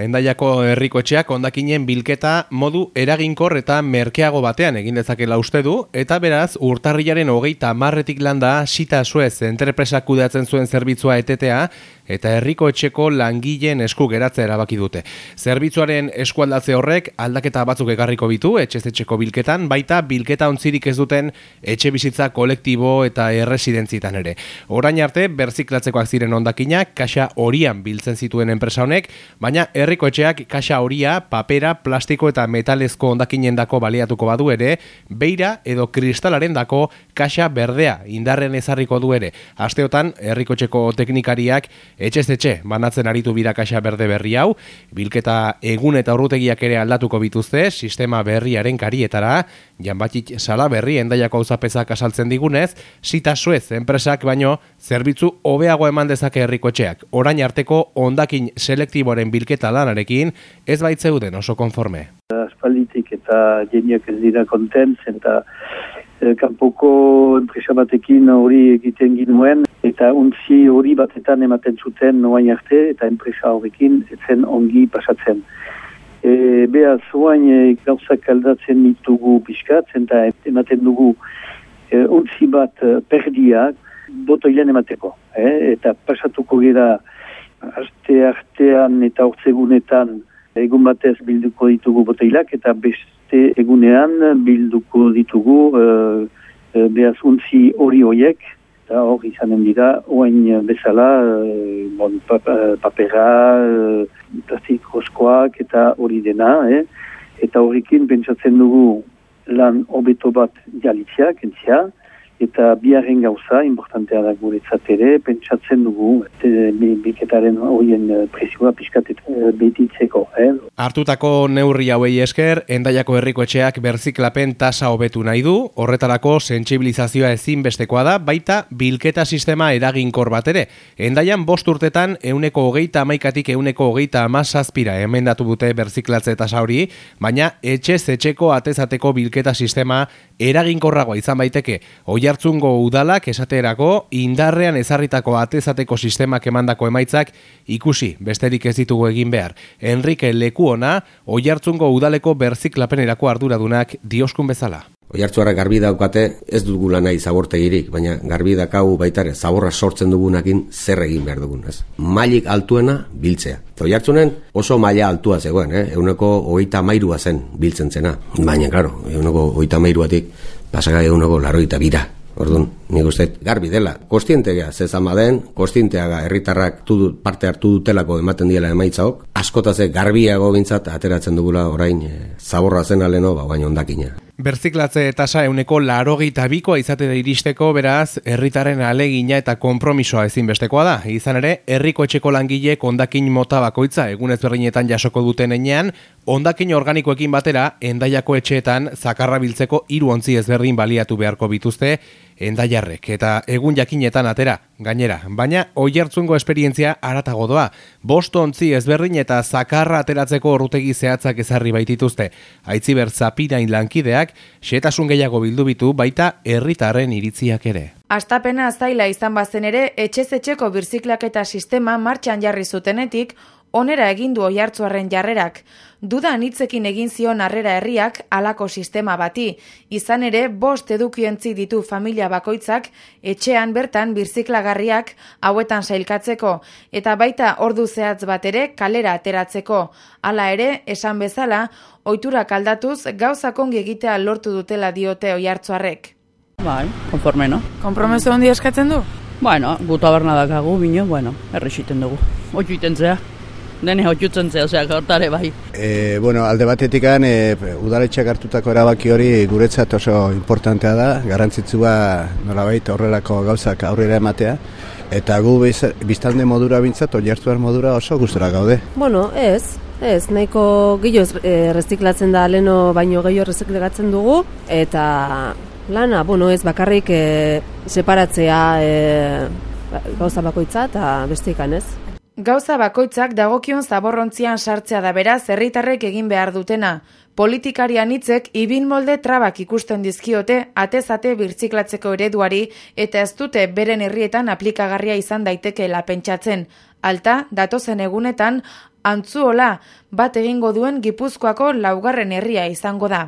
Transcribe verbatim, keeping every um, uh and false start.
Hendaiako herriko etxeak hondakinen bilketa modu eraginkor eta merkeago batean egin dezakela uste du, eta beraz urtarrilaren hogeita hamarretik landa Sita Suez enpresak kudeatzen zuen zerbitzua etetea eta herriko etxeko langileen esku geratzea erabaki dute. Zerbitzuaren eskualdatze horrek aldaketa batzuk ekarriko bitu etxez etxeko bilketan, baita bilketa ontzirik ez duten etxe bizitza kolektibo eta erresidentzitan ere. Orain arte berziklatzekoak ziren hondakinak kaxa horian biltzen zituen enpresa honek, baina herriko etxeak kaxa horia, papera, plastiko eta metalezko hondakinendako baliatuko badu ere, beira edo kristalaren dako kaxa berdea indarren ezarriko du ere. Asteotan herriko etxeko teknikariak etxez etxe banatzen aritu bira kaxa berde berri hau, bilketa egun eta ordutegiak ere aldatuko bituzte, sistema berriaren karietara, Janbatik Sala berri Hendaiako auzapezak asaltzen digunez, Sita Suez enpresak baino zerbitzu hobeago eman dezake herriko etxeak. Orain arteko hondakin selektiboaren bilketa lanarekin ez baitzeuden oso konforme. Aspalditik eta jeniak ez dira kontent, eta e, kanpoko enpresa batekin hori egiten ginuen, eta untzi hori batetan ematen zuten noain arte, eta enpresa horrekin etzen ongi pasatzen. E, Beaz, oain e, gauzak aldatzen ditugu pixkat, eta ematen dugu e, untzi bat e, perdiak botoilan emateko. E, eta pasatuko gira aste artean eta hortzegunetan egun batez bilduko ditugu botoilak, eta beste egunean bilduko ditugu e, e, beaz untzi hori horiek, eta hor izanen dira, oain bezala, e, bon, papera, e, plastikozkoak eta hori dena, eh? Eta horrekin pentsatzen dugu lan hobeto bat jalitziak, entzia, eta biharren gauza, importantea da guretzat ere, pentsatzen dugu, bilketaren horien presioa pixkatet betitzeko. Eh? Hartutako neurri hauei esker, Hendaiako herriko etxeak berziklapen tasa hobetu nahi du, horretarako sentsibilizazioa ezinbestekoa da, baita bilketa sistema eraginkor bat ere. Hendaian bost urtetan euneko hogeita hamaikatik euneko hogeita hamazazpira emendatu dute berziklatze tasa hori, baina etxez etxeko atezateko bilketa sistema eraginkorragoa izan baiteke. Oiartzungo udalak esaterako indarrean ezarritako atezateko sistemak emandako emaitzak ikusi besterik ez ditugu egin behar. Enrique Lekuona, Oiartzungo udaleko berziklapenerako arduradunak dioskun bezala. Oiartzuarrak garbi daukate ez dugula nahi zabortegirik, baina garbi dakau baitare zaborra sortzen dugunakin zer egin behar dugun, ez? Mailik altuena biltzea. Oiartzunen oso maila altua zegoen, eh? Euneko hogeita hamairua zen biltzen zena. Baina, klaro, euneko hogeita hamairuatik pasaka euneko larogeita bira. Orduan, nik uste garbi dela. Kostientea zezama den, kostienteaga herritarrak tudu, parte hartu dutelako ematen diela emaitzaok, askotaze garbiago bintzat ateratzen dugula orain e, zaborra zen aleno, ba, baina ondakina. Berziklatze tasa euneko larogeita bikoa izatera iristeko, beraz, herritaren alegina eta konpromisoa ezinbestekoa da. Izan ere, herriko etxeko langilek hondakin mota bakoitza egun ezberdinetan jasoko duten enean, hondakin organikoekin batera, Hendaiako etxeetan zakarra biltzeko hiru ontzi ezberdin baliatu beharko bituzte hendaiarrek, eta egun jakinetan atera, gainera. Baina, Oiartzungo esperientzia haratago doa. Bost ontzi ezberdin eta zakarra ateratzeko orrutegi zehatzak ezarri baitituzte. Aitziber Zapirain lankideak, xehetasun gehiago bildu bitu, baita herritarren iritziak ere. Hastapena zaila izan bazen ere, etxez etxeko birziklaketa sistema martxan jarri zutenetik, onera egin du Oiartzuarren jarrerak. Duda anitzekin egin zion harrera herriak halako sistema bati. Izan ere, bost edukiontzi ditu familia bakoitzak, etxean bertan birziklagarriak hauetan sailkatzeko, eta baita ordu zehatz bat ere kalera ateratzeko. Hala ere, esan bezala, ohiturak aldatuz gauzak ongi egitea lortu dutela diote Oiartzuarrek. Bai, konforme, no? Konpromezu handi eskatzen du? Bueno, guta berna dakagu, bino, bueno, errexiten dugu. Oitu iten zea. Dene hotxutzen zea, osea, hortare bai. E, bueno, alde batetikan, e, udaletxeak hartutako erabaki hori guretzat oso importantea da, garrantzitsua nolabait horrelako gauzak aurrera ematea, eta gu biztalde modura bintzat, Oiartzuar modura oso gustora gaude. Bueno, ez, ez, nahiko gehiago erreziklatzen da, leno baino gehiago erreziklatzen dugu, eta lana, bueno, ez bakarrik e, separatzea e, gauza bakoitza eta bestikan ez. Gauza bakoitzak dagokion zaborrontzian sartzea da beraz herritarrek egin behar dutena. Politikarian hitzek ibin molde trabak ikusten dizkiote atez-ate birziklatzeko ereduari eta ez dute beren herrietan aplikagarria izan daitekeela pentsatzen. Alta, datozen egunetan, Antzuola bat egingo duen Gipuzkoako laugarren herria izango da.